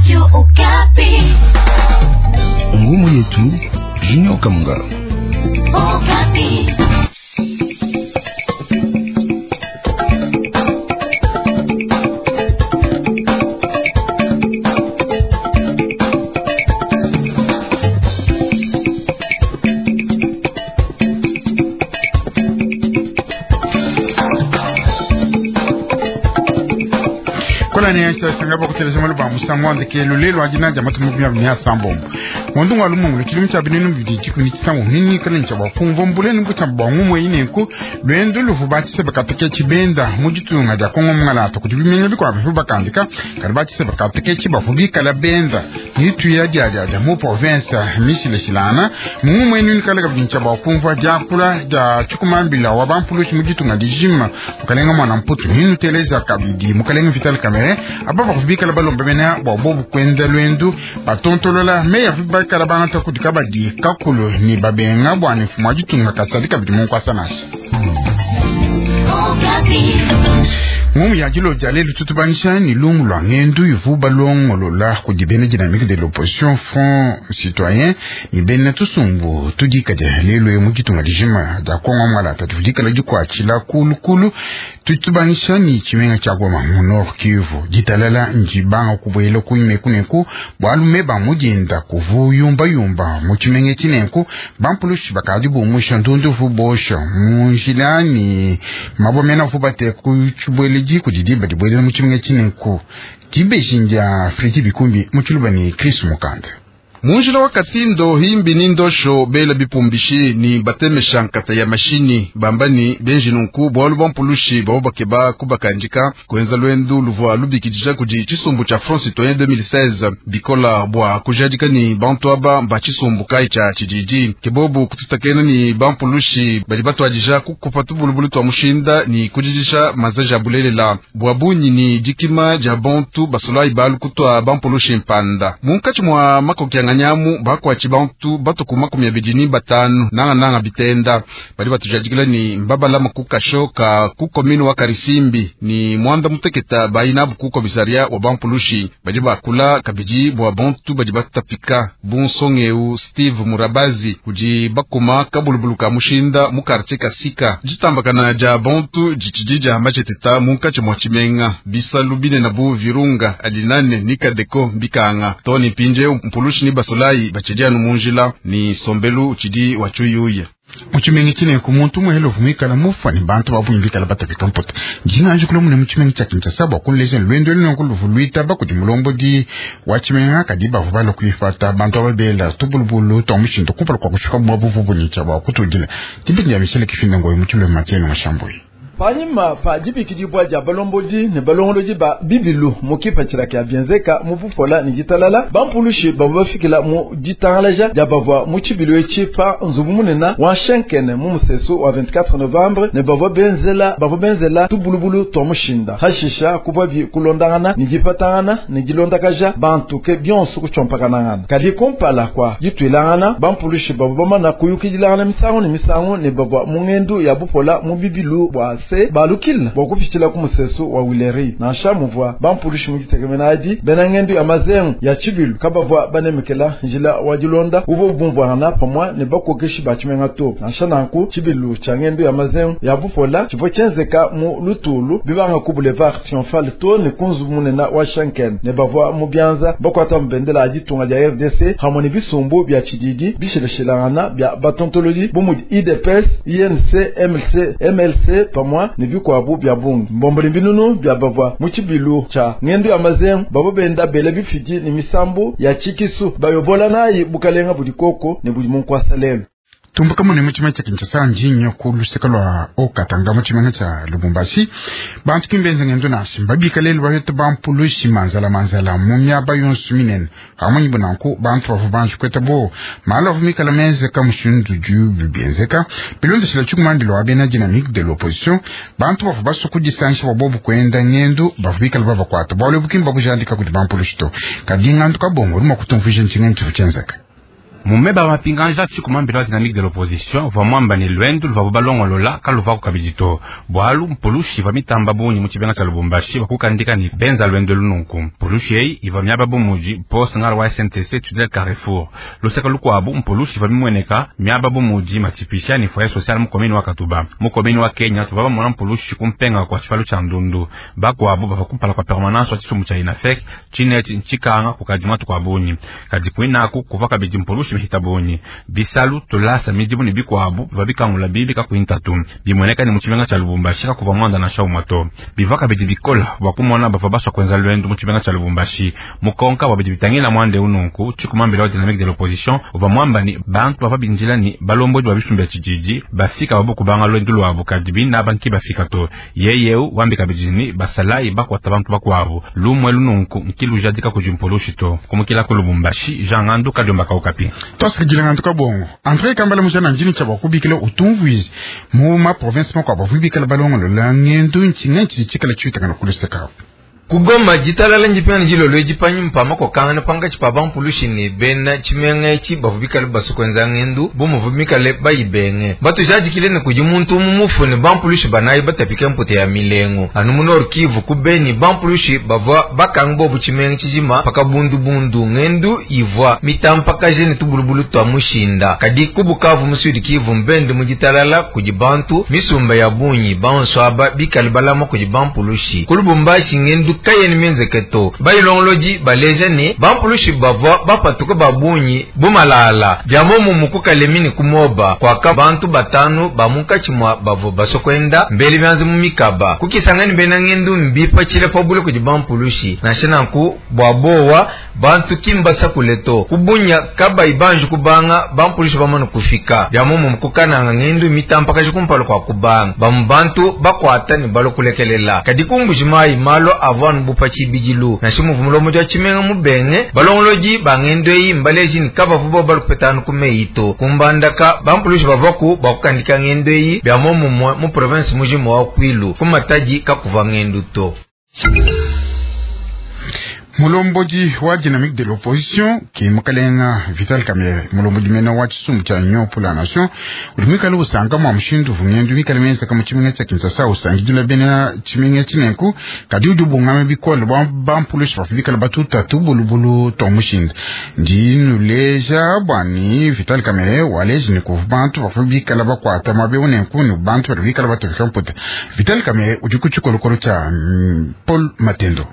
Radio Okapi. Ngumu yetu Junior Kamunga. Okapi. Kolane sanga bakuteleja malu ba musangu wandekelo lelo adina dia matumu bia bia sambombo ngondo wa lumungu tshidimu tshia binunu bidi dikumi tshisangu nini kala ntsha bua kumva mbuleni mbutsha bua ngumwe inenku lwendo luvu batshise bakateke tshibenda mu ditunga dia Kongo mungalata kudi bimenga bikuabu bivu bakandika kadi batshise bakateke tshibavu bikala benda nituya dia dia dia mu province mishileshilana mumwe nini kala kabidi ntsha bua kumva diakula dia tshikumambila wa bampulushi mu ditunga dijima mukalenga mwana mputu ninu teleza kabidi mukalenga Vital Kamerhe aba bakubikala balomba mena bua bobu kwenda lwendu batontolola meya bakala bangata kudi kabadi kakulu ni babenga bua ne mfumu wa ditunga kasadi kabidi munkwasa nasha Okapi. Ngumu ya dilo dia lelu tutubangisha ni lungu lwa ngendu ivu balongolola kudi bena dynamique de l'opposition front citoyen ni bena tusumbu tudikadia lelu mu ditunga dijima dia Kongo mwalata tudikala dikuatshila kulukulu tutubangisha ni tshimenga tshia Goma mu Nord Kivu ditalala njibanga kubuela kuimekuneku bwalume ba mudinda kuvu yumbayumba mu tshimenga tshinenku bampulushi bakadi bumusha ndundu vu bosha mu njila ni mabomena vu bate ku tshibuele diku didi badibuelela mu tshimenga tshinenku dibeji ndia Fredi Bikumbi mu tshiluba ni Chris Mukanda. Munjila wa Katindo himbi ni ndosho bela bipumbishi ni batemesha nkata ya mashini bambani benji nunku bwalu bwa mpulushi babo bakeba kubakandika kwenza lwendu luvua lubikidija kudi tshisumbu tsha Front Citoyen 2016 bikola bua kujadika ni bantu aba mba tshisumbu kai tsha tshididi kebobu kututakena ni bampulushi badi batuadija kukupa tubulubulu twa mushinda ni kudidisha mazaji a bulelela bua bunyi ni dikima dia bantu basolai balu kutwa bampulushi mpanda munkatshi mua makokianganya nyamu bakwatshi bantu batuku makumi abidi ni batanu nanga nanga bitenda badi batujadikila ni mbabalama ku kasho ka ku komini wa Karisimbi ni mwanda muteketa bayinabu ku komisaria wa bampulushi badi bakula kabidi bua bantu badi batapika bunsongeu Steve Murabazi kudi bakuma kabulubulu ka mushinda mu quartier Kasika ditambakana dia bantu ditshidi dia macheteta munkatshi mua tshimenga bisalu binene bu Virunga alinane ni Kadeko mbikanga toni mpinje mpulushi ni basolai batshidi anu munjila ni sombelu tshidi wa tshuyuya mutshimenga tshineku muntu muhele uvumikala mufa ni bantu babunyi bikala batapika mputa njinganji kula mune mutshimenga tshia Kinshasa bua kunleja lwendo luneku luvu luitaba kudi mulombodi wa tshimenga kadi bavu balua kuipata bantu aba bela tubulubulu twa mushindu kumpala kua kushika bua buvu bunitsha bua kutudila dibidi dia Michel Kifinda Ngoyi mu tshiluba Matieno Mashambuyi. Panyima pa dibikidibua dia balombodi ne balongolodi ba bibilu mu kipatshila kya bienzeka mu bupola ne ditalala bampulushi bavua bafikila mu ditangalaja dia bavua mu tshibilu etshi pa nzubu munene wa Shenkene mu musesu wa 24 novembre ne bavua benzela bavua benzela tubulubulu twa mushinda hashisha kuvua kulondangana ne dipatangana ne dilondakaja bantu ke bionso kutshompakanangana kadi kumpala kua dituilangana bampulushi bavua bamana kuyukidilangana misangu ne misangu ne bavua mu ngendu ya bupola mu bibilu bua se balukila bua kupitshila ku musesu wa Wileri nansha muvua bampulushi mu ditekemena adi bena ngendu ya mazengu ya tshibilu kabavua banemekela njila wa dilonda uvua bumvuangana pamue ne bakokeshi ba tshimenga to nansha nanku tshibilu tshia ngendu ya mazengu ya bupola tshivua tshienzeka mu lutulu bibanga ku boulevard triomphal to ne ku nzubu munene wa Shanken ne bavua mu bianza bakuata mubendela ya ditunga dia RDC hamwe ne bisumbu bia tshididi bishilashilangana bia batontolodi bu mudi IDPS INC MLC MLC pamue ne bikuabu bia bungi mbomboli mbinunu bia bavua mu tshibilu tshia ngendu ya mazengu bavua benda bela bifidi ne misambu ya tshikisu bayobola nayi bukalenga budi koko ne budi munkwasa lelu. Tumbuka mune mu tshimenga tshia Kinshasa njinyo ku luseka lua Okatanga mu tshimenga tshia Lubumbashi bantu kimbenze ngendo nasi mbabika lelu bahete bampulushi manzala manzala mu miaba yonso minene hamunyi bunanku bantu bavua banji kweta bo malu avua mikala menzeka mushindu ju bienzeka bilondeshela tshikumandilo wa bena dynamique de l'opposition bantu bavua basua kudisangisha bua bobu kuenda ngendu bavua bikala babakuata bualu ebu kimba bujandika kudi bampulushi to kadi ngandu kabongo udi mua kutumvuija ntshinga ntshivua tshienzeka. Mu meba a mapinganja, tshikuma mbila wa Dynamique de l'opposition uvua muamba ne luendu luvuabu balongolola kaluvuaku kabidi to, bualu mpulushi ivua mitamba bungi mu tshimenga tshia Lubumbashi bua kukandika ne benza luendu elu nunku. Mpulushi eyi ivua miaba bu mudi poste ngala wa SNTC tunnel Carrefour. Luseke lukuabu, mpulushi ivua mimueneka miaba bu mudi Matshipisha ne foyer social mu commune wa Katuba. Mu commune wa Kenya tuvua bamona mpulushi ku mpenga kua tshipalu tshia ndundu. Bakuabu bavua kumpala kua permanence wa tshisumbu tshia UNAFEC tshine etshi ntshikanga kukadi matuku a bungi. Kadi kuinaku kuvua kabidi mpulushi mihita bungi. Bisalu, tulasa, midimu ne bikuabu bivua bikangula bibi kakuyi ntatu. Bimueneka ne mu tshimenga tshia Lubumbashi kakuvua muanda nansha umue to. Bivua kabidi bikole bua kumona bavua basua kuenza luendu mu tshimenga tshia Lubumbashi. Mukonka bua bidi bitangila muanda eu nunku, tshikuma-mbila wa Dynamique de l'opposition uvua muamba ne, bantu bavua bindila ne balombodi ba bisumbu bia tshididi bafika babu kubanga luendu luabu, kadi bine aba nki bafika to. Yeye eu wambi kabidi ne, basalayi bakuata bantu bakuabu. Lumu elu nunku nki lujadika kudi mpulushi to. Kumukila ku Lubumbashi, Jean Ngandu, Kadiomba ka Okapi. Tuasakidila Ngandu Kabongo. Andre Kambala mujana ndini tshia bua kubikila utumvuize mu ma province makuabu bavua bikala balongolola ngendu ntshinga tshidi tshikala tshiutakana ku luseke. Ku Goma, ditalala ndipingane dilolo edi panyima pa makokangana pankatshi pa bampulushi ne bena tshimenga etshi bavua bikale basue kuenza ngendu bu muvua mikale bayibenge. Mbatujadikile ne, kudi muntu umue mufue ne bampulushi banayi batapike mputa ya milengu. Anu mu Nord Kivu, ku Beni, bampulushi bavua bakange bobu tshimenga tshijima pa kabundubundu. Ngendu ivua mitampakaje ne tubulubulu tua mushinda. Kadi ku Bukavu mu Sud Kivu, mbende mu ditalala kudi bantu misumba ya bungi, bonso aba bikale balama kudi bampulushi. Ku Lubumbashi, ngendu kayena mienzeke to. Bayilongolodi baleja ne, bampulushi bavua bapatuka ba bungi bu malala. Bia muomumue ku Kalemi ne ku Moba, kuaka bantu batanu ba munkatshi mua bavua basue kuenda mbele bianza mu mikaba. Ku Kisangani, bena ngendu mbipatshila pa bule kudi bampulushi. Nansha nanku, bua buowa, bantu ki mbasakule to. Ku Bunia, kabayi banji kubanga, bampulushi bamane kufika. Bia muomumue ku Kananga, ngendu mitampakaja kumpala kua kubanga. Bamue bantu bakuata ne balua kulekelela. Kadi ku Mbuji-Mayi, malu avua anu bu pa tshibidilu. Nansha muvua mulombodi wa tshimenga mubenge, balongolodi ba ngendu eyi mbaleje ne, kabavua bobu balue kupetangana ku meyi to. Ku Mbandaka, bampulushi bavuaku bua kukandika ngendu eyi. Bia muomumue mu provense mujima wa Kwilu, ku Matadi kakuvua ngendu to. Mulombodi wa Dynamique de l'opposition ki mukalenga Vital Kamerhe, mulombodi mene wa tshisumbu tshia Union pour la Nation, udi muikale usanka mua mushindu uvua ngendu mikale mienzeka mu tshimenga tshia Kinshasa usangidila bena tshimenga etshi nenku, kadi udi ubungama bikole bua bampulushi bavua bikale batuta tubulubulu tua mushinda. Ndi nuleja bua ni Vital Kamerhe waleji ne kuvua bantu bavua bikale bakuata muaba eu nenku ne bantu badi bikale batapika mputa. Vital Kamerhe udi ku tshikolokolo tshia Paul Matendo.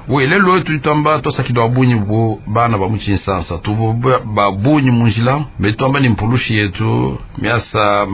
We lelo tudi tuamba tuasakidwa bunyi bu bana ba mu Tshinsansa tuvua ba bunyi mu njila me tuamba ni mpulushi yetu miasa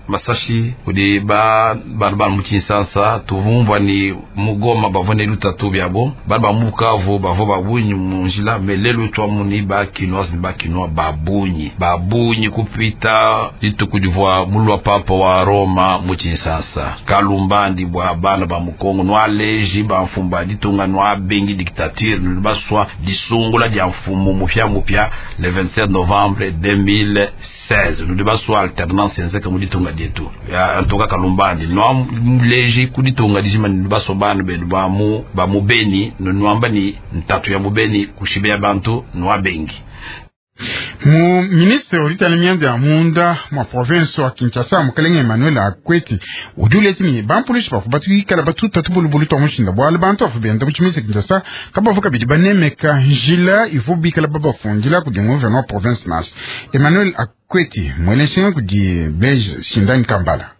masashi kudi ba bana ba mu Tshinsansa tuvumvua ni mu Goma bavua ne lutatu biabo bana ba mu Bukavu bavua ba bunyi mu njila me lelo tuamuni ba Kinois ni ba Kinois ba bunyi ba bunyi kupita dituku divua mulua papa wa Roma mu Tshinsansa kalumbandi bua bana ba mu Kongo nualeji ba mfumba ditunga nua bengi dictature nulibaswa disungula dia mfumu mupya mupya le 27 novembre 2016 nulibaswa alternance enzeka mu ditunga dietu ya ntoka kalumbandi nua muleji ku ditunga dijima nulibaswa bana benu ba mu ba mu Beni nuamba ni ntatu ya mu Beni kushibea bantu nua bengi. Mu ministre udi mianda ya munda mwa province wa Kinshasa mukalenge Emmanuel Akweti udi uleja ne bampulushi bavua batuikala batuta tubulubulu tua mushinda bualu bantu bavua benda mu tshimenga Kinshasa kabavua kabidi banemeka njila ivua bikala babafundila kudi gouverneur wa province nansha. Emmanuel Akweti muele nshinga kudi Blaise Shindani Kambala.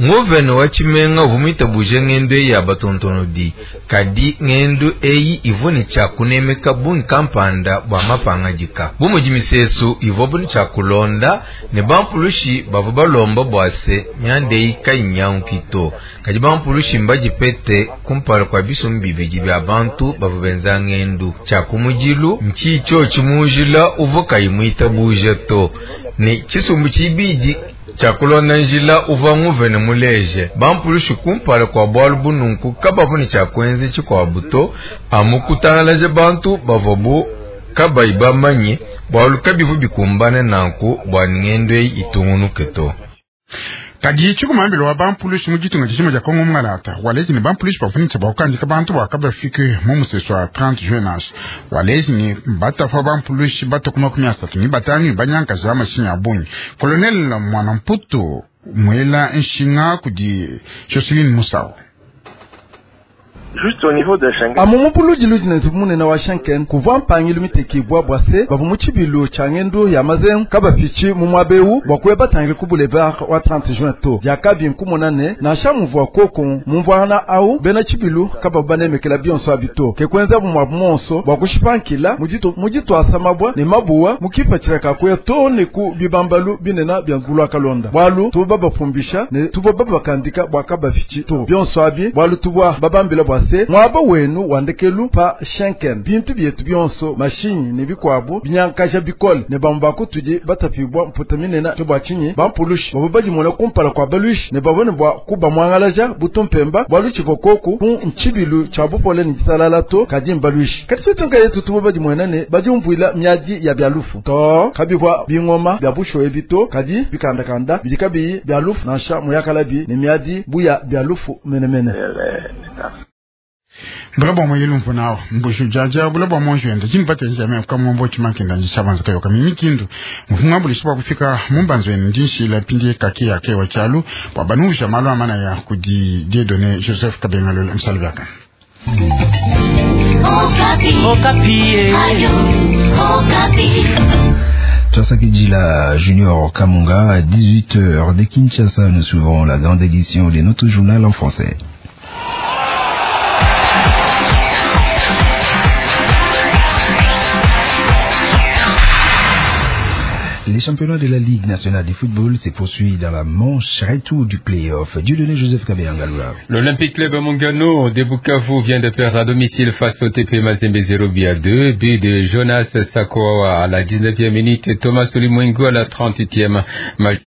Ngovene wa tshimenga uvua muitabuje ngendu eyi ya batontonodi, kadi ngendu eyi ivua ne tshia kunemeka bungi kampanda bua mapangadika bu mudi misesu ivuabu ne tshia kulonda ne bampulushi bavua balomba bua se mianda eyi kayinyanguki to. Kadi bampulushi mbadipete kumpala kua bisumbu bibidi bia bantu bavua benza ngendu. Tshia kumudilu ntshitsho tshimujila uvua kayi muitabuje to, ne tshisumbu tshibidi tshia kulonda njila uvua nguvene muleje bampulushi kumpala kua bualu bununku kabavua ne tshia kuenza tshikuabu to, amu kutangalaja bantu bavua bu kabayi bamanye bualu kabivu bikumbane nanku bua ngendo eyi itungunuke to. Kadi tshikumambila wa bampulushi mu ditunga dijima dia Kongo mungalata waleji ne bampulushi bafunitsa bakukandika bantu bakabafike mu musesu wa 30 juin nansha waleji ne batafa bampulushi batoku 35 banyankaji ya mashinyi a bungi. Colonel Mwanamputu mwela nshinga kudi Jocelyn Musau. Amu mupuludi ludi ne nzubu munene wa Schenken kuvua mpangilu mitekibwa bua se bavua mu tshibilu tshia ngendu ya mazengu kabafichi mu muaba ewu bua kuya batangile ku boulevard wa 30 juin to. Diakabi nkumona ne nansha muvua koku mumvuangana au bena tshibilu kabavua banemekela bionso abi to. Ke kuenzabu muabu monso bua kushipankila mu dituasa mabua ne mabuwa mu kipatshila ka kuya to ne ku bibambalu binene bia nzulu wa kalonda. Bualu tuvua babafumbisha ne tuvua babakandika bua kabafichi to bionso abi bualu tuvua babambila bua se mwaba wenu wandekelu pa Schenken bintu bietu bionso mashinyi ne bikwabu binyankaja bikole ne bamwe bakutudi batapibwa mputa minene ke bua tshinyi bampulushi bavua badimona kumpala kwa baluishi ne bavua ne bua kubamwangalaja butumpemba bualu tshivua koku ku ntshibilu tshia bupole ne ditalala to kadi mbaluishi. Kadi twetu nkayetu tuvua badimona ne badiumvuila miadi ya bia lufu to kabivua bingoma bia bushowe bito kadi bikandakanda bidi kabiyi bia lufu nansha muyakalabi ne miadi buya bia lufu menemene. Bula bua moyelu mvunao mbushu jaja bula bua monjwenda chini pate njame kamombo chimakinda njishabanza kayoka mimikindu mfunga bulishi bwa kufika mumbanzweni ndinshila pindi kake yake wa chalu bwa banusha malu amana ya kudi Dieudonné Joseph Kabengalolo msalvaka. Okapi. Okapi. Ayo, Okapi. Jila Junior Kamunga à 18h de Kinshasa, nous suivrons la grande édition de notre journal en français. Les championnats de la Ligue nationale de football se poursuit dans la manche retour du play-off. Dieudonné Joseph Kabeyangaloula. L'Olympique Club Mungano de Bukavu vient de perdre à domicile face au TP Mazembe 0-2. But de Jonas Sakoa à la 19e minute, Thomas Olimwengo à la 38e.